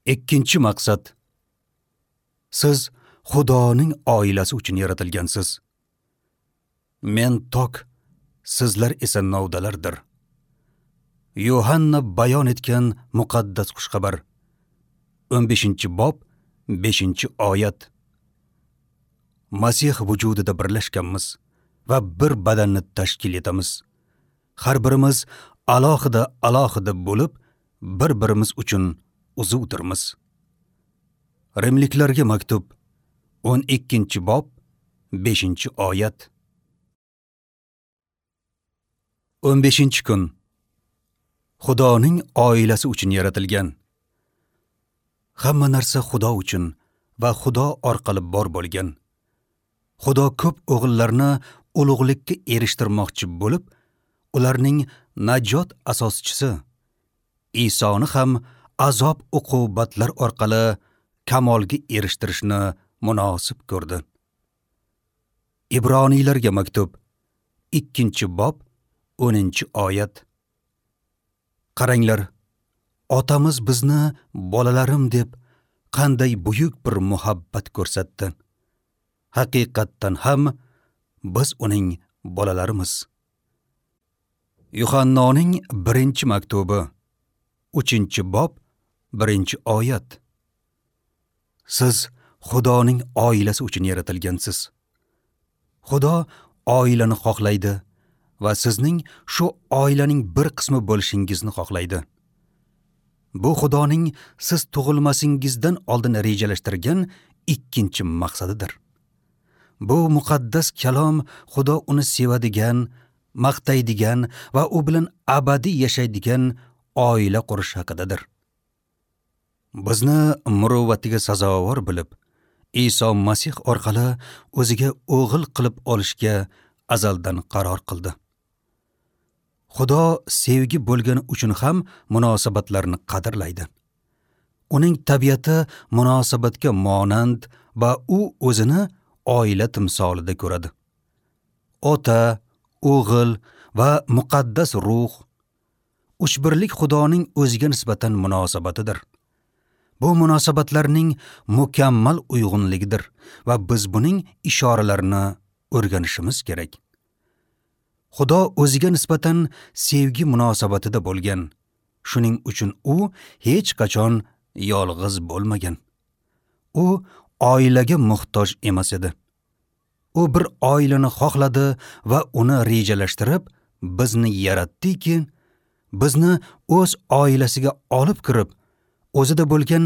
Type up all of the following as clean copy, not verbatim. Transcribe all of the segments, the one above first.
Ikkinchi maqsad. Siz Xudoning oilasi uchun yaratilgansiz. Men tok, sizlar esa novdalardir. Yohanna bayon etgan muqaddas xushxabar. 15-bob, 5-oyat. Masih vujudida birlashganmiz va bir badanni tashkil etamiz. Har birimiz alohida alohida bo'lib, bir-birimiz uchun uzuvdirmiz. Rimliklarga maktub 12-bob, 5-oyat. 15-kun. Xudoning oilasi uchun yaratilgan. Hamma narsa Xudo uchun va Xudo orqali bor bo'lgan. Xudo ko'p o'g'illarni ulug'likka erishtirmoqchi bo'lib, ularning najot asoschisi Isoni ham azob uqubatlar orqali kamolga erishtirishni munosib ko'rdi. Ibroniylarga maktub 2-bob 10-oyat. Qaranglar, otamiz bizni bolalarim deb qanday buyuk bir muhabbat ko'rsatdi. Haqiqatdan ham biz uning bolalarimiz. Yuhannoning 1-maktubi 3-bob 1-oyat. Siz Xudoning oilasi uchun yaratilgansiz. Xudo oilani xohlaydi va sizning shu oilaning bir qismi bo'lishingizni xohlaydi. Bu Xudoning siz tug'ilmasingizdan oldin rejalashtirgan ikkinchi maqsadidir. Bu muqaddas kalom Xudo uni sevadigan, maqtaydigan va u bilan abadiy yashaydigan oila qurish haqidadir. Bizni muruvvatiga sazovor bilib, Iso Masih orqali o'ziga o'g'il qilib olishga azaldan qaror qildi. Xudo sevgi bo'lgani uchun ham munosabatlarni qadrlaydi. Uning tabiati munosabatga monand va u o'zini oila timsolida ko'radi. Ota, o'g'il va muqaddas ruh uchbirlik Xudoning o'ziga nisbatan munosabatidir. Bu munosabatlarning mukammal uyg'unligidir va biz buning ishoralarini o'rganishimiz kerak. Xudo o'ziga nisbatan sevgi munosabatida bo'lgan. Shuning uchun u hech qachon yolg'iz bo'lmagan. U oilaga muhtoj emas edi. U bir oilani xohladi va uni rejalashtirib, bizni yaratdiki, bizni o'z oilasiga olib kirib, o'zida bo'lgan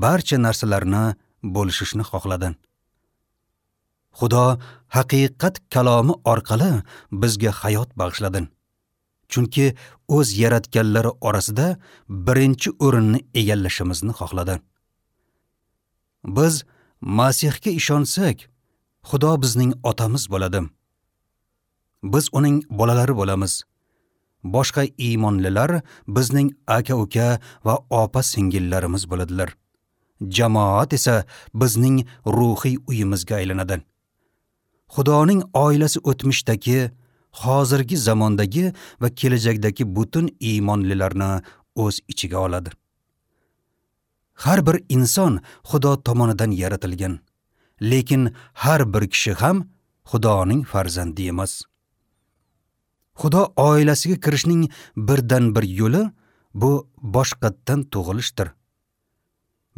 barcha narsalarni bo'lishishni xohladi. Xudo haqiqat kalomi orqali bizga hayot bag'ishladi. Chunki o'z yaratganlari orasida birinchi o'rinni egallashimizni xohladi. Biz Masihga ishonsak, Xudo bizning otamiz bo'ladi. Biz uning bolalari bo'lamiz. Boshqa iymonlilar bizning aka-uka va opa-singillarimiz bo'ladilar. Jamoat esa bizning ruhiy uyimizga aylanadi. Xudoning oilasi o'tmishdagi, hozirgi zamondagi va kelajakdagi butun iymonlilarni o'z ichiga oladi. Har bir inson Xudo tomonidan yaratilgan, lekin har bir kishi ham Xudoning farzandi emas. Xudo oilasiga kirishning birdan bir yo'li bu boshqatdan tug'ilishdir.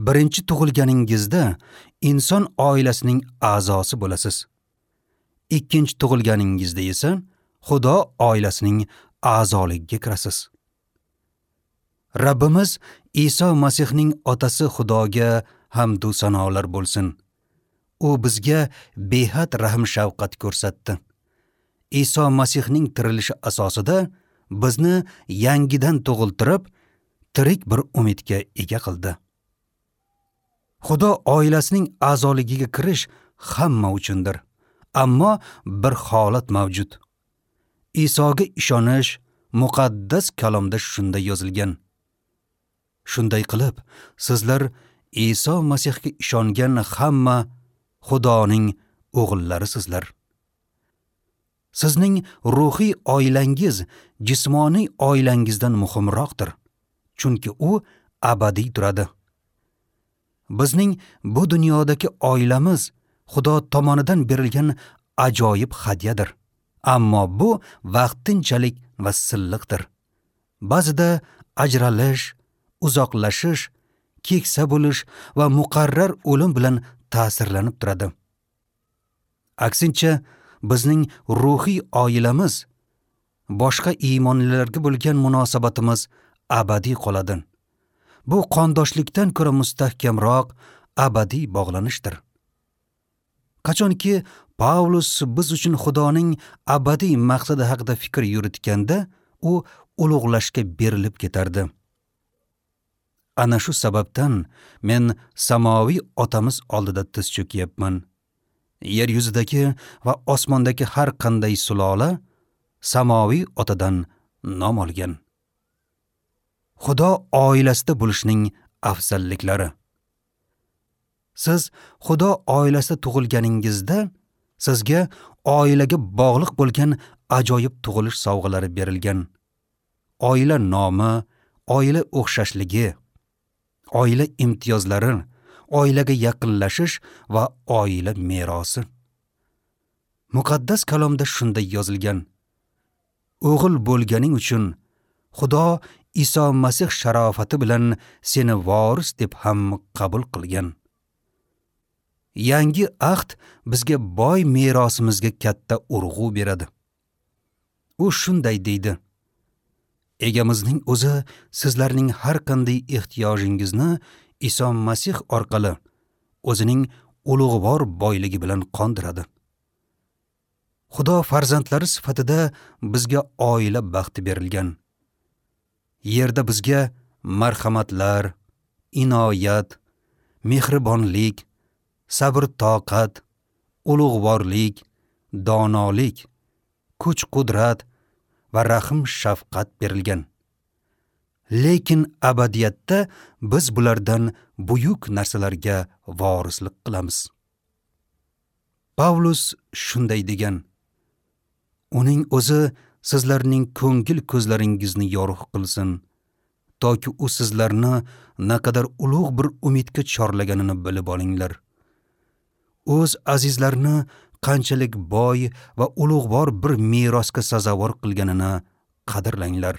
Birinchi tug'ilganingizda inson oilasining a'zosi bo'lasiz. Ikkinchi tug'ilganingizda esa Xudo oilasining a'zoligiga kirasiz. Rabbimiz Iso Masihning otasi Xudoga hamd va sanolar bo'lsin. U bizga behad rahm-shafqat ko'rsatdi. Iso Masihning tirilishi asosida bizni yangidan tug'iltirib, tirik bir umidga ega qildi. Xudo oilasining a'zoligiga kirish hamma uchundir. Ammo bir holat mavjud. Isoga ishonish muqaddas kalomda shunday yozilgan. Shunday qilib, sizlar Iso Masihga ishongan hamma Xudoning o'g'illarisizlar. Sizning ruhiy oilangiz jismoniy oilangizdan muhimroqdir, chunki u abadiy turadi. Bizning bu dunyodagi oilamiz Xudo tomonidan berilgan ajoyib hadyadir. Ammo bu vaqtinchalik va silliqdir. Ba'zida ajralish, uzoqlashish, keksa bo'lish va muqarrar o'lim bilan ta'sirlanib turadi. Aksincha, bizning ruhiy oilamiz, boshqa iymonlilarga bo'lgan munosabatimiz abadiy qoladi. Bu qondoshlikdan ko'ra mustahkamroq abadiy bog'lanishdir. Qachonki Pavlus biz uchun Xudoning abadiy maqsadi haqida fikr yuritganda, u ulug'lashga berilib ketardi. Ana shu sababdan men samoviy otamiz oldida tiz cho'kyapman. Yer yuzidagi va osmondagi har qanday sulola samoviy otadan nom olgan. Xudo oilasida bo'lishning afzalliklari. Siz Xudo oilasida tug'ilganingizda sizga oilaga bog'liq bo'lgan ajoyib tug'ilish sovg'alari berilgan. Oila nomi, oila o'xshashligi, oila imtiyozlari, oilaga yaqinlashish va oila merosi. Muqaddas kalomda shunday yozilgan: O'g'il bo'lganing uchun Xudo Iso Masih sharofati bilan seni voris deb ham qabul qilgan. Yangi ahd bizga boy merosimizga katta urg'u beradi. U shunday deydi: Egamizning o'zi sizlarning har qanday ehtiyojingizni Iso Masih orqali o'zining ulug'vor boyligi bilan qondiradi. Xudo farzandlari sifatida bizga oila baxti berilgan. Yerda bizga marhamatlar, inoyat, mehribonlik, sabr-toqat, ulug'vorlik, donolik, kuch-qudrat va rahm-shafqat berilgan. Lekin abadiyatda biz bulardan buyuk narsalarga vorislik qilamiz. Pavlus shunday degan: Uning o'zi sizlarning ko'ngil ko'zlaringizni yorug' qilsin, toki u sizlarni naqadar ulug' bir umidga chorlaganini bilib olinglar. O'z azizlarini qanchalik boy va ulug'vor bir merosga sazovor qilganini qadrlanglar.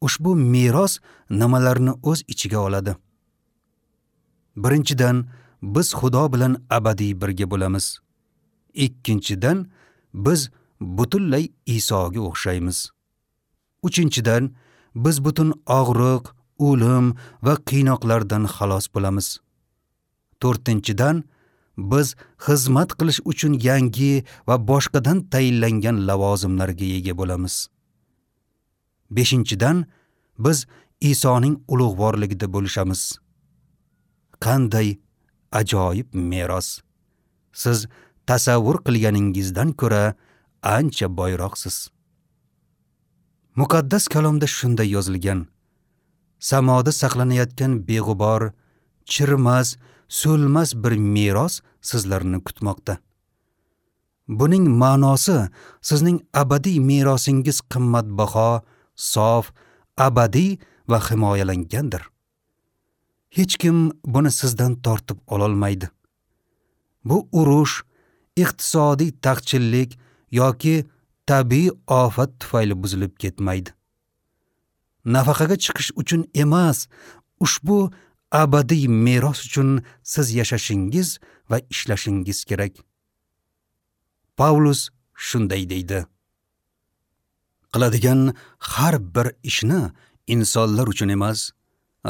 Ushbu meros nimalarni o'z ichiga oladi? Birinchidan, biz Xudo bilan abadiy birga bo'lamiz. Ikkinchidan, biz butunlay Isoga o'xshaymiz. Uchinchidan, biz butun og'riq, o'lim va qiynoqlardan xalos bo'lamiz. To'rtinchidan, biz xizmat qilish uchun yangi va boshqadan tayinlangan lavozimlarga ega bo'lamiz. Beshinchidan, biz Isoning ulug'vorligida bo'lishamiz. Qanday ajoyib meros! Siz tasavvur qilganingizdan ko'ra ancha boyroqsiz. Muqaddas kalomda shunday yozilgan: Samoda saqlanayotgan beg'ubor, chirimas, so'lmas bir meros sizlarni kutmoqda. Buning ma'nosi sizning abadiy merosingiz qimmatbaho, sof, abadiy va himoyalangandir. Hech kim buni sizdan tortib ololmaydi. Bu urush, iqtisodiy taqchillik yoki tabiiy ofat tufayli buzilib ketmaydi. Nafaqaga chiqish uchun emas, ushbu abadiy meros uchun siz yashashingiz va ishlashingiz kerak. Pavlus shunday deydi: Qiladigan har bir ishni insonlar uchun emas,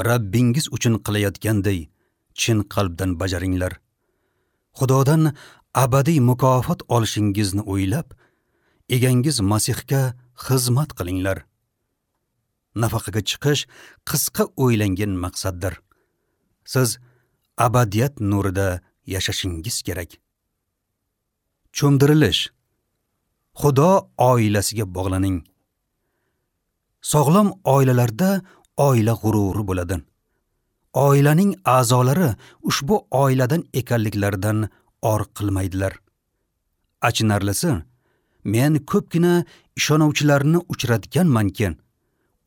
Rabbingiz uchun qilayotganday chin qalbdan bajaringlar. Xudodan abadiy mukofot olishingizni o'ylab, egangiz Masihga xizmat qilinglar. Nafaqaga chiqish qisqa o'ylangan maqsaddir. Siz abadiyat nurida yashashingiz kerak. Cho'mdirilish. Xudo oilasiga bog'laning. Sog'lom oilalarda oila g'ururi bo'ladi. Oilaning a'zolari ushbu oiladan ekanliklaridan or qilmaydilar. Achinarlisi, men ko'pgina ishonuvchilarni uchratganmanki,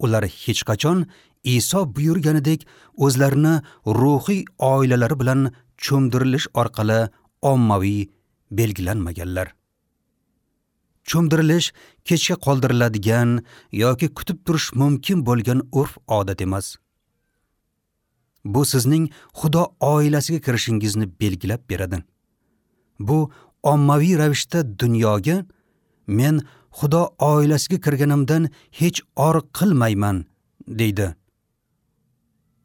ular hech qachon Iso buyurganidek o'zlarini ruhiy oilalari bilan cho'mdirilish orqali ommaviy belgilanmaganlar. Cho'mdirilish kechga qoldiriladigan yoki kutib turish mumkin bo'lgan urf-odat emas. Bu sizning Xudo oilasiga kirishingizni belgilab beradi. Bu ommaviy ravishda dunyoga men Xudo oilasiga kirganimdan hech or qilmayman, deydi.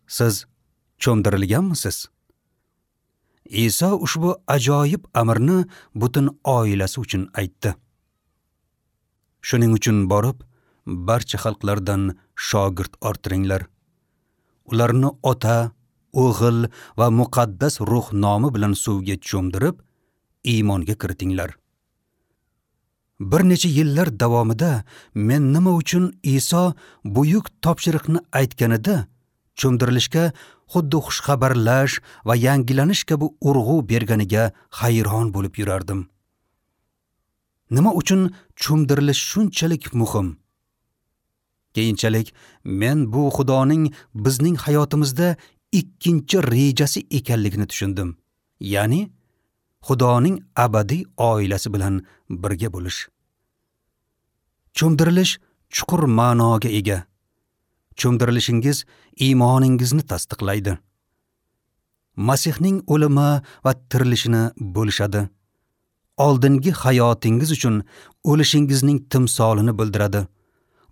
Siz cho'mdirilganmisiz? Iso ushbu ajoyib amrni butun oilasi uchun aytdi. Shuning uchun borib, barcha xalqlardan shogird orttiringlar. Ularni Ota, O'g'il va Muqaddas Ruh nomi bilan suvga cho'mdirib, iymonga kiritinglar. Bir necha yillar davomida men nima uchun Iso buyuk topshiriqni aytganida cho'mdirilishga xuddi xushxabarlash va yangilanish kabi urg'u berganiga hayron bo'lib yurardim. Nima uchun cho'mdirilish shunchalik muhim? Keyinchalik men bu Xudoning bizning hayotimizda ikkinchi rejasi ekanligini tushundim. Ya'ni Xudoning abadiy oilasi bilan birga bo'lish. Cho'mdirilish chuqur ma'noga ega. Cho'mdirilishingiz iymoningizni tasdiqlaydi. Masihning o'limi va tirilishini bo'lishadi. Oldingi hayotingiz uchun o'lishingizning timsolini bildiradi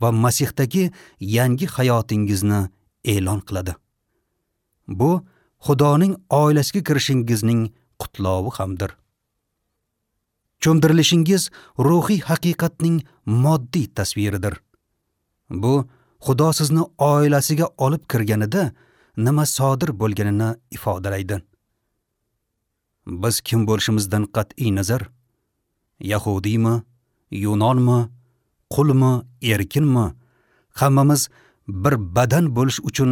va Masihdagi yangi hayotingizni e'lon qiladi. Bu Xudoning oilasiga kirishingizning qutlovi hamdir. Cho'mdirilishingiz ruhiy haqiqatning moddiy tasviridir. Bu Xudo sizni oilasiga olib kirganida nima sodir bo'lganini ifodalaydi. Biz kim bo'lishimizdan qat'iy nazar, yahudiymi, yunonmi, qulmi, erkinmi, hammamiz bir badan bo'lish uchun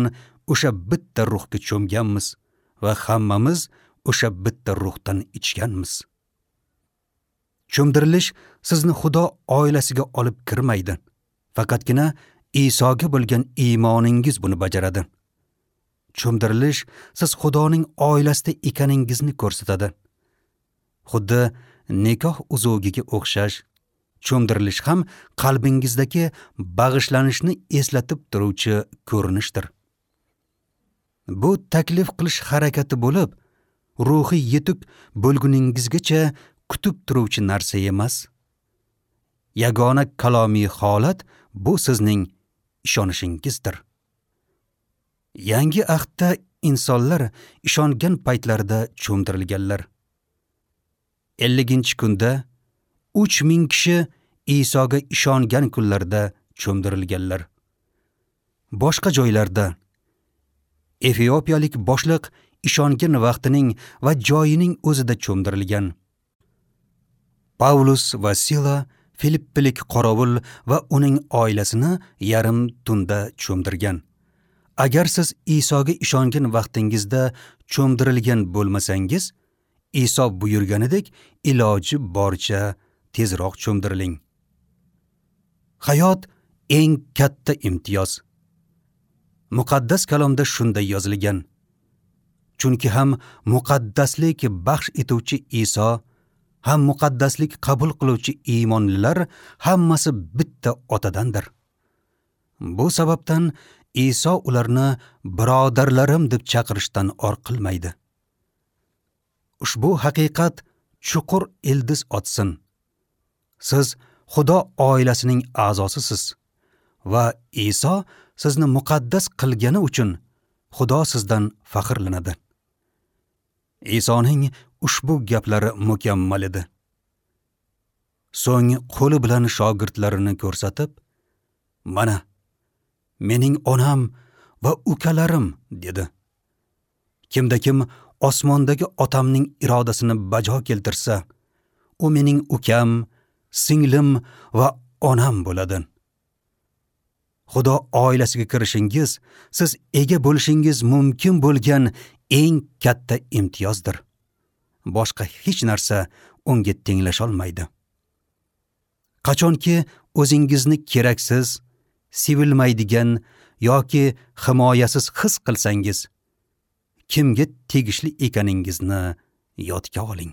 o'sha bitta ruhga cho'mganmiz va hammamiz o'sha bitta ruhdan ichganmiz. Cho'mdirilish sizni Xudo oilasiga olib kirmaydi. Faqatgina Isoga bo'lgan iymoningiz buni bajaradi. Cho'mdirilish siz Xudoning oilasida ekaningizni ko'rsatadi. Xuddi nikoh uzugiga o'xshash cho'mdirilish ham qalbingizdagi bag'ishlanishni eslatib turuvchi ko'rinishdir. Bu taklif qilish harakati bo'lib, ruhiy yetuk bo'lguningizgacha kutib turuvchi narsa emas. Yagona kalomiy holat bu sizning ishonishingizdir. Yangi ahdda insonlar ishongan paytlarida cho'mdirilganlar. 50-kunda 3000 kishi Isoga ishongan kunlarda cho'mdirilganlar. Boshqa joylarda Efiopiyalik boshliq ishongan vaqtining va joyining o'zida cho'mdirilgan. Pavlus va Sila Filippilik qorovul va uning oilasini yarim tunda cho'mdirgan. Agar siz Isoga ishongan vaqtingizda cho'mdirilgan bo'lmasangiz, Iso buyurganidek iloji boricha tezroq cho'mdiriling. Hayot eng katta imtiyoz. Muqaddas kalomda shunday yozilgan. Chunki ham muqaddaslik baxsh etuvchi Iso, ham muqaddaslik qabul qiluvchi iymonlilar hammasi bitta otadandir. Bu sababdan Iso ularni birodarlarim deb chaqirishdan or qilmaydi. Ushbu haqiqat chuqur ildiz otsin. Siz Xudo oilasining a'zosisiz va Iso sizni muqaddas qilgani uchun Xudo sizdan faxrlanadi. Isoning ushbu gaplari mukammal edi. So'ng qo'li bilan shogirdlarini ko'rsatib, "Mana mening onam va ukalarim" dedi. Kimda kim osmondagi otamning irodasini bajo keltirsa, u mening ukam, singlim va onam bo'ladi. Xudo oilasiga kirishingiz, siz ega bo'lishingiz mumkin bo'lgan eng katta imtiyozdir. Boshqa hech narsa unga tenglasha olmaydi. Qachonki o'zingizni keraksiz, sevilmaydigan yoki himoyasiz his qilsangiz, kimga tegishli ekaningizni yodga oling.